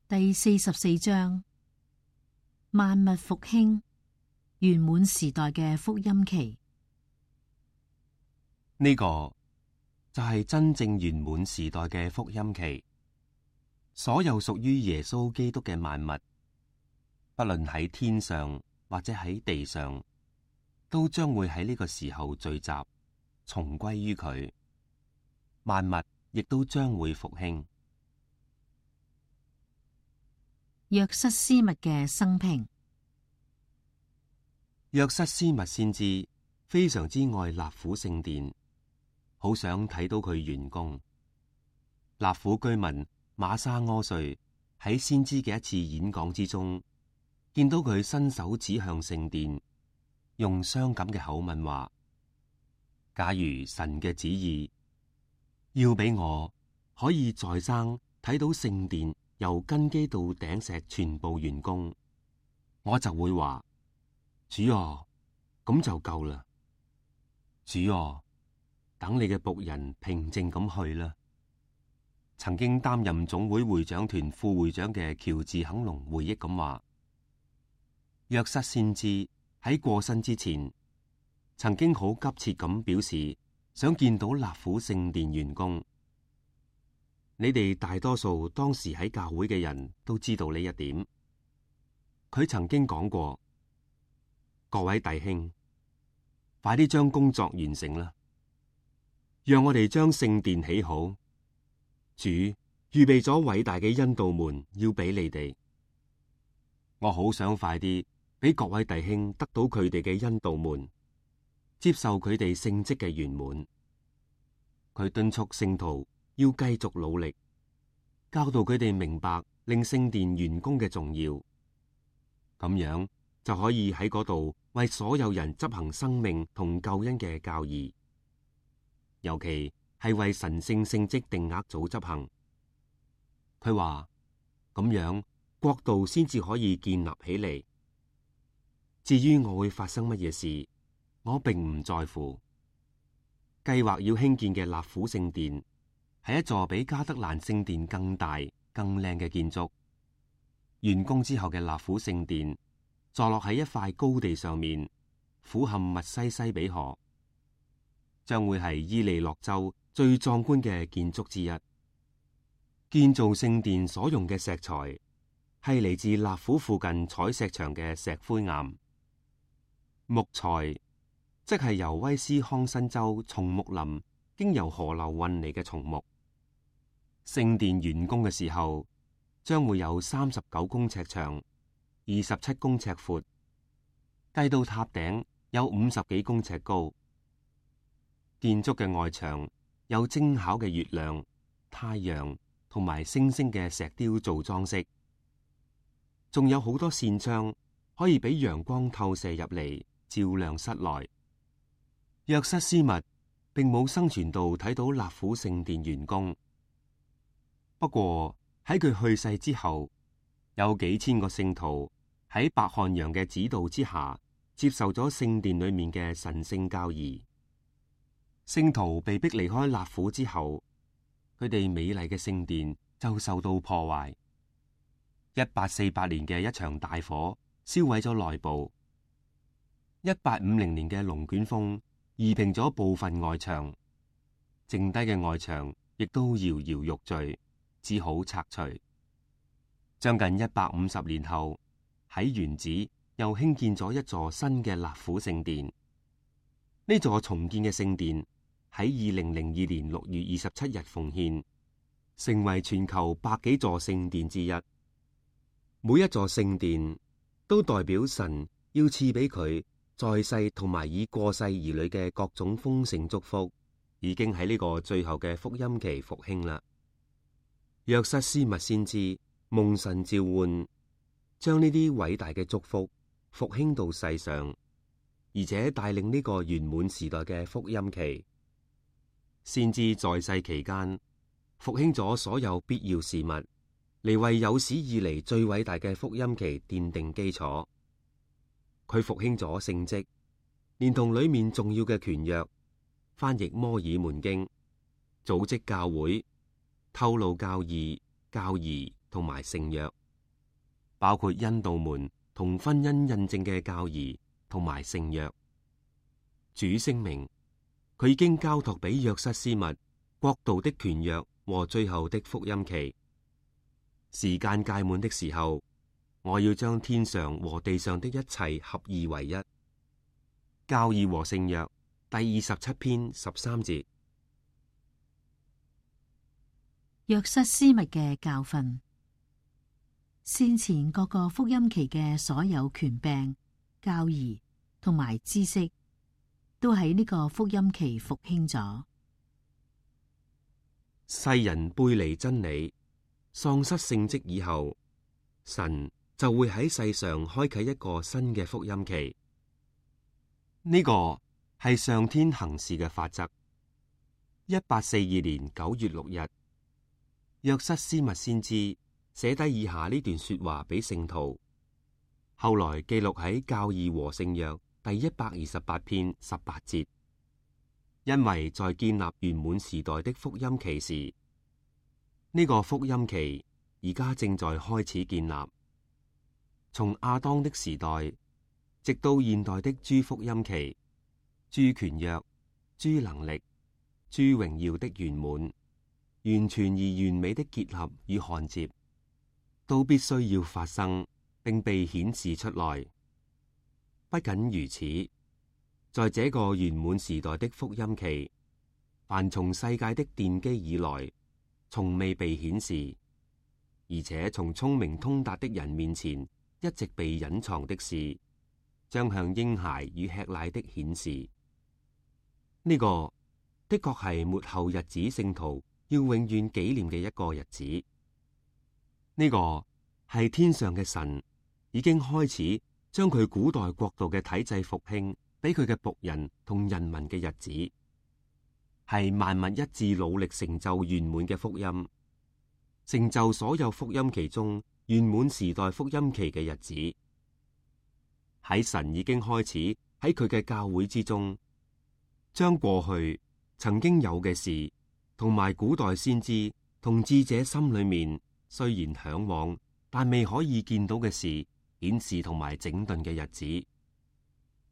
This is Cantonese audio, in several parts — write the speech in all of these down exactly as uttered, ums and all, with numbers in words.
第四十四章，萬物復興，圓滿時代嘅福音期。呢個就係真正圓滿時代嘅福音期。所有屬於耶穌基督嘅萬物，不論喺天上或者喺地上，都將會喺呢個時候聚集，重歸於佢。萬物亦都將會復興。約瑟斯密嘅生平。約瑟斯密先知非常之愛納府聖殿，好想睇到佢完工。納府居民瑪沙柯瑞喺先知嘅一次演講之中，見到佢伸手指向聖殿，用傷感嘅口吻話：假如神嘅旨意要俾我可以在生睇到聖殿由根基到頂石全部完工，我就會話：主啊，咁就夠啦。主啊，等你嘅僕人平靜咁去啦。曾經擔任總會會長團副會長嘅喬治肯隆回憶咁話：約瑟先知喺過身之前，曾經好急切咁表示想見到納府聖殿完工。你哋大多數當時喺教會嘅人都知道呢一點。佢曾經講過：各位弟兄，快啲將工作完成啦，讓我哋將聖殿起好。主預備咗偉大嘅恩道門要俾你哋，我好想快啲俾各位弟兄得到佢哋嘅恩道門，接受佢哋聖職嘅圓滿。佢敦促聖徒要繼續努力，教導佢哋明白令聖殿完工嘅重要，咁樣就可以喺嗰度為所有人執行生命同救恩嘅教義，尤其係為神聖聖職定額組執行。佢話咁樣國度先至可以建立起嚟。至於我會發生乜嘢事，我並唔在乎。計劃要興建嘅納府聖殿係一座比加德蘭聖殿更大、更靚嘅建築。完工之後嘅納府聖殿坐落喺一塊高地上面，俯瞰密西西比河，將會係伊利諾州最壯觀嘅建築之一。建造聖殿所用嘅石材係嚟自納府附近採石場嘅石灰岩。木材即係由威斯康辛州松木林經由河流運嚟嘅松木。聖殿完工嘅時候，將會有三十九公尺長，二十七公尺闊，計到塔頂有五十幾公尺高。建築嘅外牆有精巧嘅月亮、太陽同埋星星嘅石雕做裝飾，仲有好多扇窗可以俾陽光透射入嚟，照亮室內。約瑟斯密並冇生存到睇到納府聖殿完工，不過喺佢去世之後，有幾千個聖徒喺白漢陽嘅指導之下，接受咗聖殿裏面嘅神聖教義。聖徒被逼離開納府之後，佢哋美麗嘅聖殿就受到破壞。一八四八年嘅一場大火燒毀咗內部。一八五零年嘅龍捲風夷平咗部分外牆，剩低嘅外牆亦都搖搖欲墜，只好拆除。將近一百五十年後，喺原址又興建咗一座新嘅納府聖殿。呢座重建嘅聖殿喺二零零二年六月二十七日奉獻，成為全球百幾座聖殿之一。每一座聖殿都代表神要賜俾佢在世同埋已過世兒女嘅各種豐盛祝福，已經喺呢個最後嘅福音期復興啦。約瑟斯密先知蒙神召喚，將呢啲偉大嘅祝福復興到世上，而且帶領呢個圓滿時代嘅福音期。先知在世期間復興咗所有必要事物，嚟為有史以嚟最偉大嘅福音期奠定基礎。佢復興咗聖職，連同裏面重要嘅權約，翻譯摩爾門經，組織教會，透露教義、教義同埋聖約，包括印度門同婚姻印證嘅教義同埋聖約。主聲明，佢已經交託俾約瑟斯密國度的權約和最後的福音期。時間屆滿的時候，我要將天上和地上的一切合二為一。教義和聖約第二十七篇十三節。約瑟斯密嘅教訓，先前各個福音期嘅所有權柄、教義同埋知識，都喺呢個福音期復興咗。世人背離真理，喪失聖職以後，神就會喺世上開啟一個新嘅福音期。呢個係上天行事嘅法則。一八四二年九月六日，約瑟斯密先知寫低以下呢段說話俾聖徒，後來記錄喺教義和聖約第一百二十八篇十八節。因為在建立圓滿時代的福音期時，呢個福音期而家正在開始建立。從亞當的時代直到現代的諸福音期，諸權約、諸能力、諸榮耀的圓滿，完全而完美的結合與焊接，都必須要發生並被顯示出來。不僅如此，在這個圓滿時代的福音期，凡從世界的奠基以來從未被顯示，而且從聰明通達的人面前一直被隱藏的事，將向嬰孩與吃奶的顯示。呢、這個的確係末後日子聖徒要永遠紀念嘅一個日子。呢、這個係天上嘅神已經開始將佢古代國度嘅體制復興俾佢嘅僕人同人民嘅日子，係萬物一致努力成就圓滿嘅福音，成就所有福音期中圓滿時代福音期嘅日子。喺神已經開始喺佢嘅教會之中，將過去曾經有嘅事，同埋古代先知同智者心裏面雖然向往但未可以見到嘅事，顯示同埋整頓嘅日子。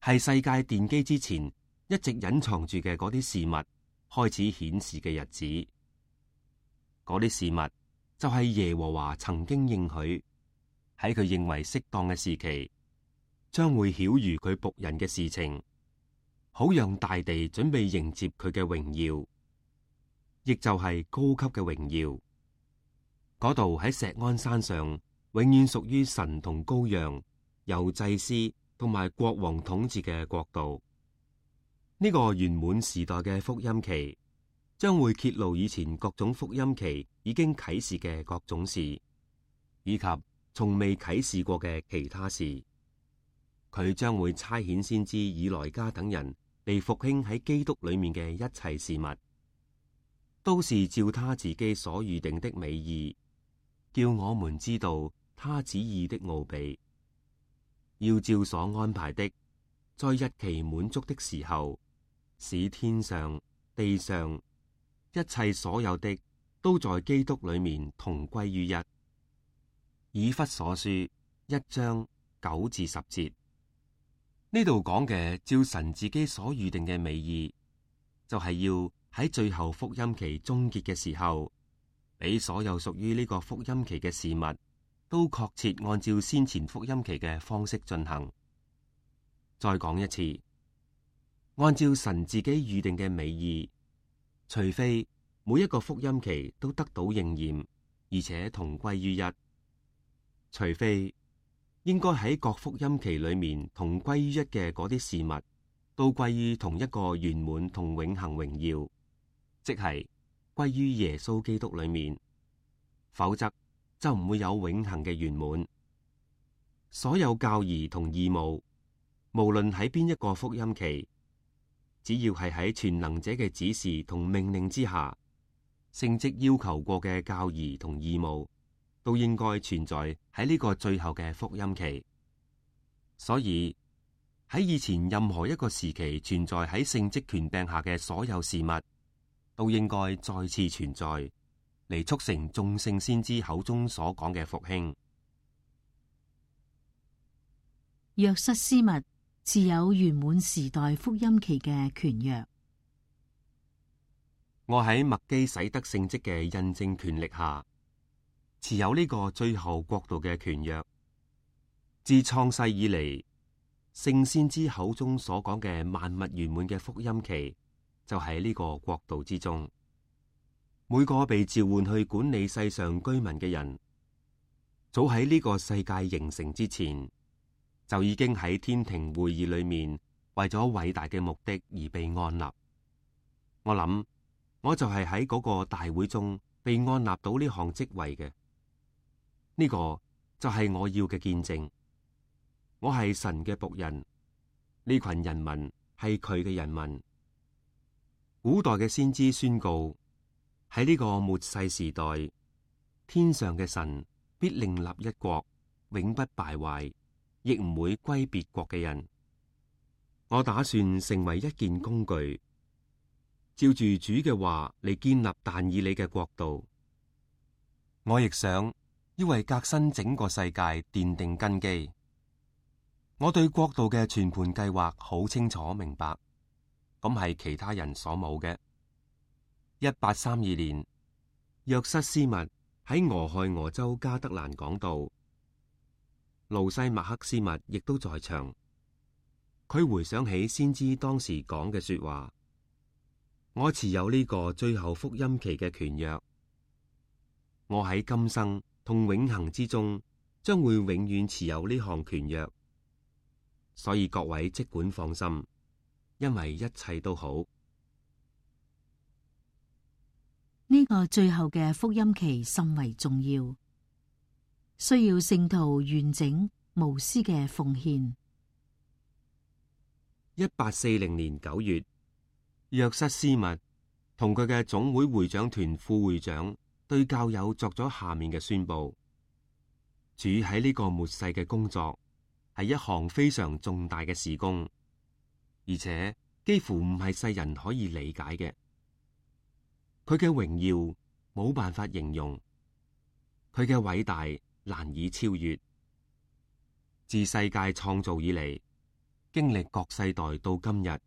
係世界奠基之前一直隱藏住嘅嗰啲事物開始顯示嘅日子。嗰啲事物就係耶和華曾經應許喺佢認為適當嘅時期，將會曉諭佢僕人嘅事情，好讓大地準備迎接佢嘅榮耀，亦就係高級嘅榮耀。嗰度喺錫安山上，永遠屬於神同羔羊，由祭司同埋國王統治嘅國度。呢、這個圓滿時代嘅福音期，將會揭露以前各種福音期已經啟示嘅各種事，以及從未啟示過嘅其他事。佢將會差遣先知以萊加等人嚟復興喺基督裏面嘅一切事物，都是照他自己所預定的美意，叫我們知道他旨意的奧秘。要照所安排的，在日期滿足的時候，使天上地上一切所有的都在基督裏面同歸於一。以弗所書一章九至十節，呢度講嘅照神自己所預定嘅美意，就係、是、要喺最後福音期終結嘅時候，俾所有屬於呢個福音期嘅事物都確切按照先前福音期嘅方式進行。再講一次，按照神自己預定嘅美意，除非每一個福音期都得到應驗，而且同歸於一，除非應該喺各福音期裏面同歸於一嘅嗰啲事物，都歸於同一個圓滿同永恆榮耀，即係歸於耶穌基督裏面，否則就唔會有永恆嘅圓滿。所有教義同義務，無論喺邊一個福音期，只要係喺全能者嘅指示同命令之下，聖職要求過嘅教義同義務，都應該存在喺呢個最後嘅福音期。所以喺以前任何一個時期存在喺聖職權柄下嘅所有事物，都應該再次存在，嚟促成眾聖先知口中所講嘅復興。約瑟斯密持有圓滿時代福音期嘅權約。我喺麥基洗德聖職嘅印證權力下，持有呢個最後國度嘅權約。自創世以嚟，聖先知口中所講嘅萬物圓滿嘅福音期，就喺呢個國度之中。每個被召喚去管理世上居民嘅人，早喺呢個世界形成之前，就已經喺天庭會議裏面為咗偉大嘅目的而被按立。我諗，我就係喺嗰個大會中被按立到呢項職位嘅。呢個就係我要嘅見證。我係神嘅僕人，呢群人民係佢嘅人民。古代嘅先知宣告，喺呢個末世時代，天上嘅神必另立一國，永不敗壞，亦唔會歸別國嘅人。我打算成為一件工具，照住主嘅話嚟建立但以理嘅國度。我亦想要為革新整個世界奠定根基。我對國度嘅全盤計劃好清楚明白，咁係其他人所冇嘅。一八三二年，約瑟斯密喺俄亥俄州加德蘭講道，路西麥克斯密亦都在場。佢回想起先知當時講嘅說話：我持有呢個最後福音期嘅權約，我喺今生同永恆之中將會永遠持有呢項權約。所以各位即管放心，因為一切都好。呢個最後嘅福音期甚為重要，需要聖徒完整無私嘅奉獻。一八四零年九月，約瑟斯密同佢嘅總會會長團副會長對教友作咗下面嘅宣佈：主喺呢個末世嘅工作係一項非常重大嘅事工，而且幾乎唔係世人可以理解嘅。佢嘅榮耀冇辦法形容，佢嘅偉大難以超越。自世界創造以嚟，經歷各世代到今日，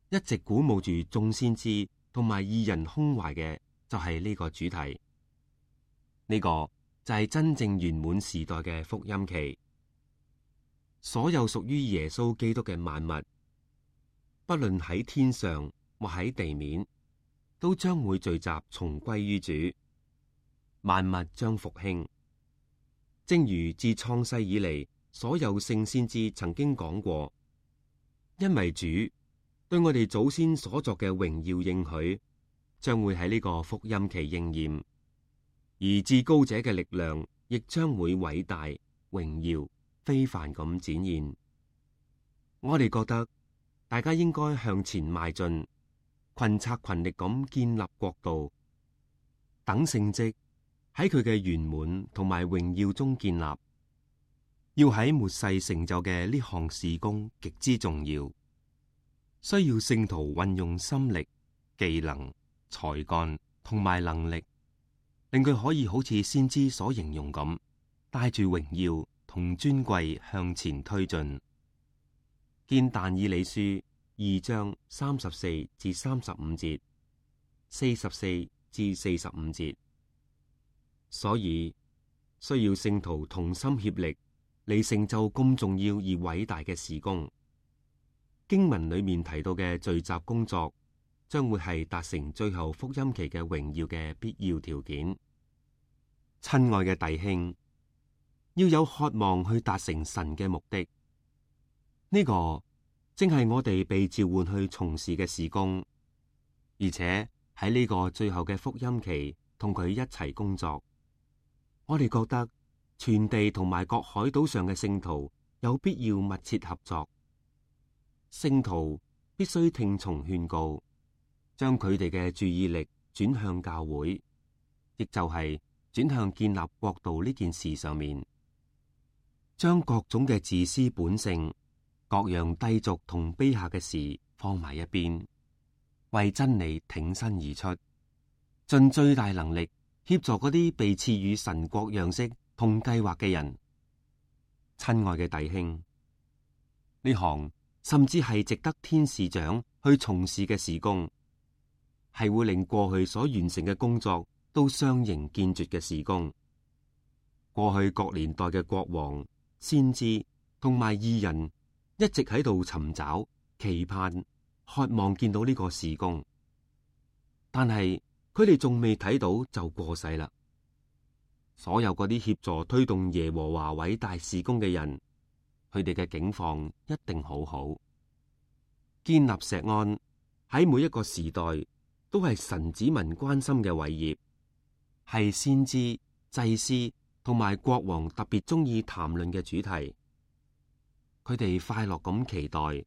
一直鼓舞住眾先知同埋義人胸懷嘅就係呢個主題。呢、這個就係真正圓滿時代嘅福音期。所有屬於耶穌基督嘅萬物，不論喺天上或喺地面，都將會聚集重歸於主。萬物將復興，正如自創世以嚟，所有聖先知曾經講過，因為主對我哋祖先所作嘅榮耀應許，將會喺呢個福音期應驗，而至高者嘅力量亦將會偉大榮耀非凡咁展現。我哋覺得大家應該向前邁進，群策群力咁建立國度，等聖蹟喺佢嘅圓滿同埋榮耀中建立。要喺末世成就嘅呢項事工極之重要，需要聖徒運用心力、技能、才幹同埋能力，令佢可以好似先知所形容咁，帶住榮耀同尊貴向前推進。見但以理書二章三十四至三十五節、四十四至四十五節。所以需要聖徒同心協力嚟成就咁重要而偉大嘅事工。經文裏面提到嘅聚集工作，將會係達成最後福音期嘅榮耀嘅必要條件。親愛嘅弟兄，要有渴望去達成神嘅目的，呢個正係我哋被召喚去從事嘅事工，而且喺呢個最後嘅福音期同佢一齊工作。我哋覺得全地同埋各海島上嘅聖徒有必要密切合作。聖徒必須聽從勸告，將佢哋嘅注意力轉向教會，亦就係轉向建立國度呢件事上面，將各種嘅自私本性、各樣低俗同卑下嘅事放埋一邊，為真理挺身而出，盡最大能力協助嗰啲被賜予神國樣式同計劃嘅人。親愛嘅弟兄，呢行甚至係值得天使長去從事嘅事工，係會令過去所完成嘅工作都相形見絀嘅事工。過去各年代嘅國王、先知同埋義人一直喺度尋找、期盼、渴望見到呢個事工，但係佢哋仲未睇到就過世啦。所有嗰啲協助推動耶和華偉大事工嘅人，佢哋嘅境況一定好好。建立錫安喺每一個時代都係神子民關心嘅偉業，係先知、祭司同埋國王特別中意談論嘅主題。佢哋快樂咁期待，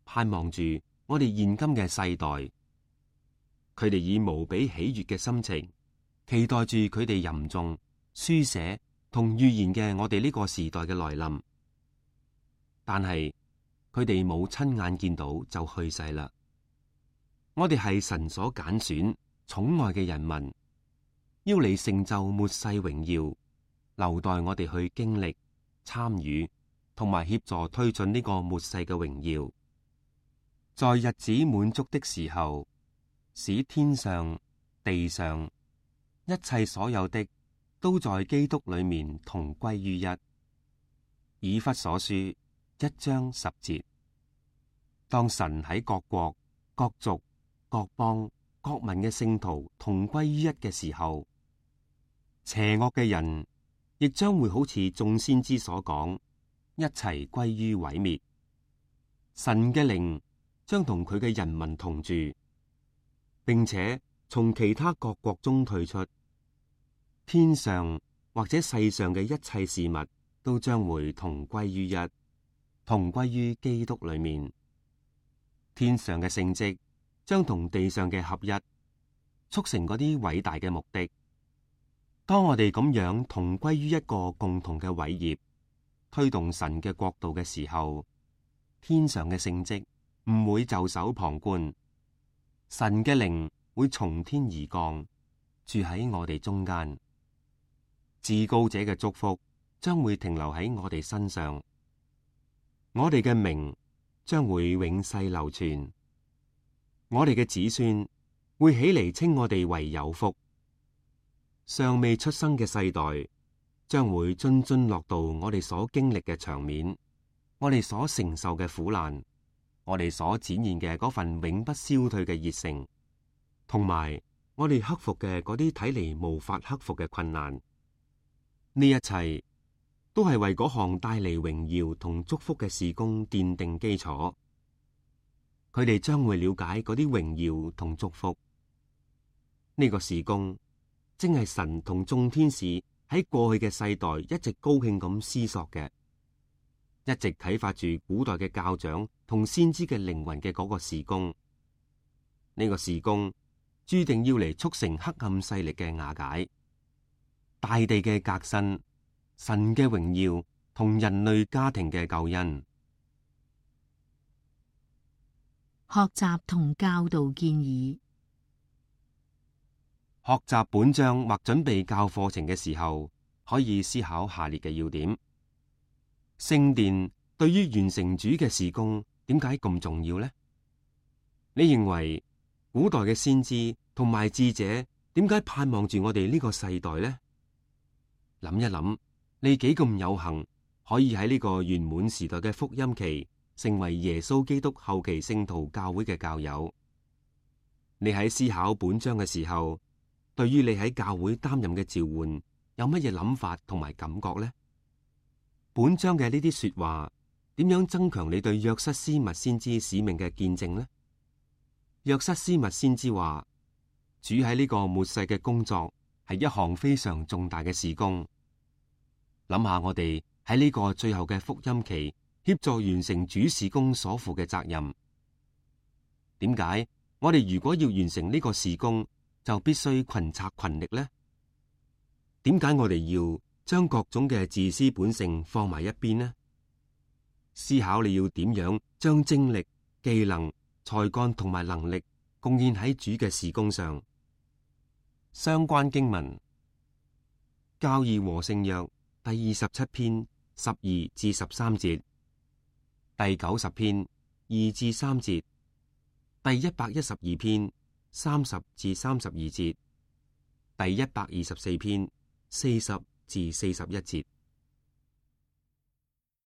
盼望住我哋現今嘅世代。佢哋以無比喜悅嘅心情，期待住佢哋吟誦、書寫同預言嘅我哋呢個時代嘅來臨。但係佢哋冇親眼見到就去世啦。我哋係神所揀選、寵愛嘅人民，要嚟成就末世榮耀，留待我哋去經歷、參與同埋協助推進呢個末世嘅榮耀。在日子滿足的時候，使天上、地上一切所有的都在基督裏面同歸於一。以弗所書一章十節。當神喺各國、各族、各邦、各民嘅聖徒同歸於一嘅時候，邪惡嘅人亦將會好似眾先知所講，一齊歸於毀滅。神嘅靈將同佢嘅人民同住，並且從其他各國中退出。天上或者世上嘅一切事物都將會同歸於一，同歸於基督裏面。天上嘅聖蹟將同地上嘅合一，促成嗰啲偉大嘅目的。當我哋咁樣同歸於一個共同嘅偉業，推動神嘅國度嘅時候，天上嘅聖蹟唔會袖手旁觀，神嘅靈會從天而降，住喺我哋中間。至高者嘅祝福將會停留喺我哋身上，我哋嘅名將會永世流傳，我哋嘅子孫會起嚟稱我哋為有福。尚未出生嘅世代將會津津樂道我哋所經歷嘅場面，我哋所承受嘅苦難，我哋所展現嘅嗰份永不消退嘅熱誠，同埋我哋克服嘅嗰啲睇嚟無法克服嘅困難。呢一切都係為嗰項帶嚟榮耀同祝福嘅事工奠定基礎。佢哋將會了解嗰啲榮耀同祝福。呢個事工正係神同眾天使喺過去嘅世代一直高興咁思索嘅，一直啟發住古代嘅教長同先知嘅靈魂嘅嗰個事工。呢個事工注定要嚟促成黑暗勢力嘅瓦解，大地嘅革新，神嘅榮耀同人類家庭嘅救恩。學習同教導建議。學習本章或準備教課程嘅時候，可以思考下列嘅要點：聖殿對於完成主嘅事工，點解咁重要呢？你認為古代嘅先知同埋智者點解盼望住我哋呢個世代呢？諗一諗，你幾咁有幸可以喺呢個圓滿時代嘅福音期，成為耶穌基督後期聖徒教會嘅教友。你喺思考本章嘅時候，對於你喺教會擔任嘅召喚，有乜嘢諗法同埋感覺呢？本章嘅呢啲說話，點樣增強你對約瑟斯密先知使命嘅見證呢？約瑟斯密先知話，主喺呢個末世嘅工作係一項非常重大嘅事工。諗下我哋喺呢個最後嘅福音期，協助完成主事工所負嘅責任。點解我哋如果要完成呢個事工，就必須群策群力呢？點解我哋要將各種嘅自私本性放埋一邊呢？思考你要點樣將精力、技能、才幹同埋能力貢獻喺主嘅事工上。相關經文教義和聖約第二十七篇十二至十三節，第九十篇二至三節，第一百一十二篇三十至三十二節，第一百二十四篇四十至四十一節。